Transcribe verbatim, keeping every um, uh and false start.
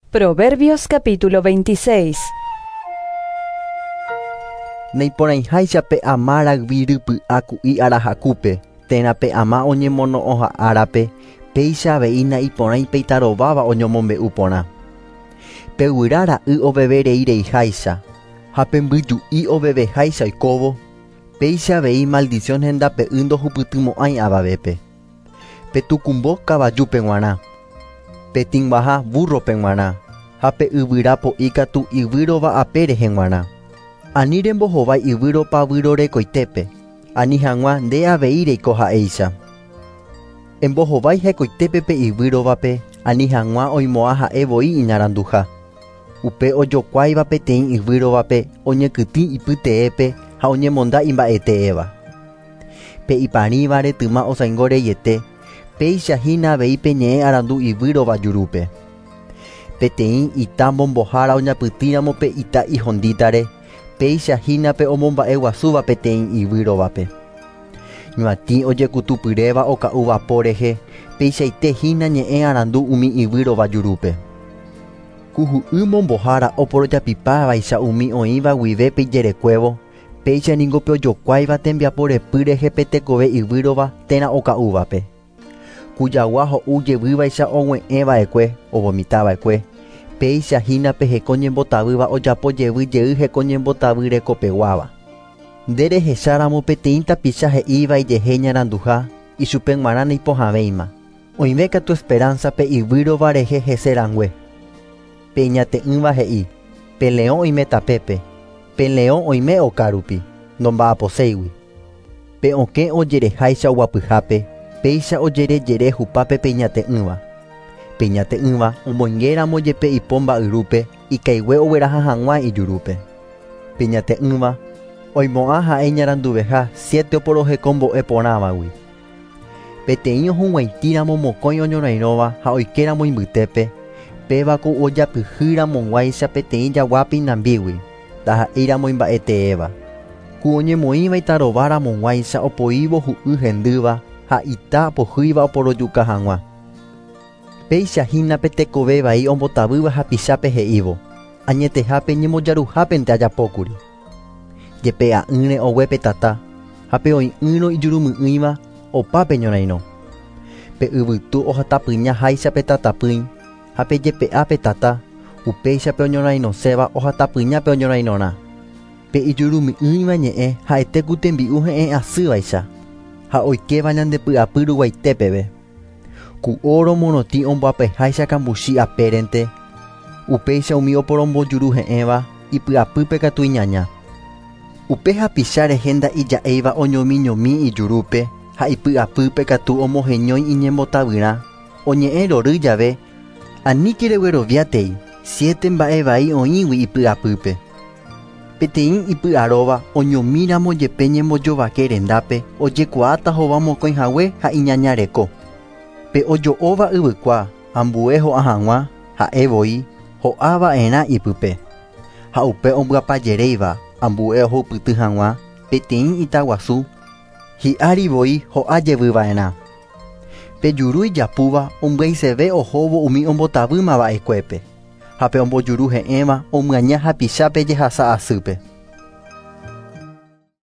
Proverbios capítulo veintiséis. Naiporãiháicha pe ama rayvi rypy'a ku'i arahakúpe, térã pe ama oñemono'õha árape, péicha avei naiporãi pe itarováva oñomombe'u porã. Pe guyra ra'y ovevereireiháicha ha pe mbyju'i oveveháicha oikóvo, péicha avei maldición hendape'ỹ ndohupytymo'ãi avavépe. Pe tukumbo kavajúpe g̃uarã, pe tĩguaha burrope g̃uarã ha pe yvyra po'i katu yvýrova ape rehe g̃uarã. Ani rembohovái yvýropa vyrorekoitépe, ani hag̃ua nde avei reiko ha'éicha. Embohovái hekoitépe pe yvýrovape, ani hag̃ua oimo'ã ha'e voi iñaranduha. Upe ojokuáiva peteĩ yvýrovape oñekytĩ ipyteépe ha oñemonda imba'eteéva. Pe iparĩva retyma osãingo reiete, péicha hína avei pe ñe'ẽ arandu yvýrova jurúpe. Peteĩ ita mbombohára oñapytĩramo pe ita ihondítare, péicha hína pe omomba'eguasúva peteĩ yvýrovape. Ñuatĩ ojekutupyréva oka'úva po rehe, peichaite hína ñe'ẽ arandu umi yvýrova jurúpe. Kuhu'y mombohára oporojapipávaicha umi oĩva guive pe ijerekuévo, péicha ningo pe ojokuáiva tembiapo repy rehe pe tekove yvýrova térã oka'úvape. Kujagua ho'u jevývaicha og̃ue'ẽva'ekue, ovomitava'ekue, péicha hína pe heko ñembotavýva ojapo jevy jey heko ñembotavy rekopeguáva. Nde rehecháramo peteĩ tapicha he'íva ijehe ñaranduha, ichupe g̃uarã naipohãvéima. Oĩve katu esperanza pe yvýrova rehe hese rãngue. Pe iñate'ỹva he'i, pe leõ oime tapépe, pe leõ oime okárupi, ndomba'aposéigui. Pe okẽ ojereháicha oguapyhápe, péicha ojerejere hupápe pe iñate'ỹva. Pe iñate'ỹva omoingéramo jepe ipo mba'yrúpe, ikaigue ogueraha hag̃ua ijurúpe. Pe iñate'ỹva oimo'ã ha'e iñaranduveha siete oporohekombo'e porãvagui. Peteĩ ohug̃uaitĩramo mokõi oñorairõva ha oikéramo imbytépe, pévako ojapyhýramog̃uáicha peteĩ jaguápe inambígui, ndaha'éiramo imba'eteéva. Ku oñemoĩva itarováramog̃uáicha opoívo hu'y hendýva ha ita pohýiva oporojuka hag̃ua. Péicha hína pe tekove vai ombotavýva hapichápe he'ívo, añetehápe ñembojaruhápente ajapókuri. Jepe'a'ỹre ogue pe tata, ha pe oĩ'ỹrõ ijurumy'ỹiva opa pe ñorairõ. Pe yvytu ohatapyñaháicha pe tatapỹi, ha pe jepe'a pe tata, upéicha pe oñorairõséva ohatapyña pe oñorairõrã. Pe ijurumy'ỹiva ñe'ẽ ha'ete ku tembi'u he'ẽ asývaicha, ha oikéva ñandepy'apy ruguaitépeve. Ku oro morotĩ omboapeháicha kambuchi apérente, upéicha umi oporombojuru he'ẽva ipy'apýpe katu iñaña. Upe hapicha rehe nda'ija'éiva oñomiñomi ijurúpe ha ipy'apýpe katu omoheñói iñembotavyrã, oñe'ẽ rory jave, aníke regueroviátei, siete mba'e vai oĩgui ipy'apýpe. Peteĩ ipy'aróva oñomíramo jepe ñembojovake rendápe ojekuaáta hova mokõi hague ha iñaña reko. Pe ojo'óva yvykua ambue ho'a hag̃ua ha'e voi ho'ava'erã ipype. Ha upe ombyapajeréiva ambue ohupyty hag̃ua peteĩ itaguasu hi'ári voi ho'a jevyva'erã. Pe juru ijapúva ombyaiseve ohóvo umi ombotavýmava'ekuépe, ha pe ombojuru he'ẽva omyaña hapichápe jehasa asýpe.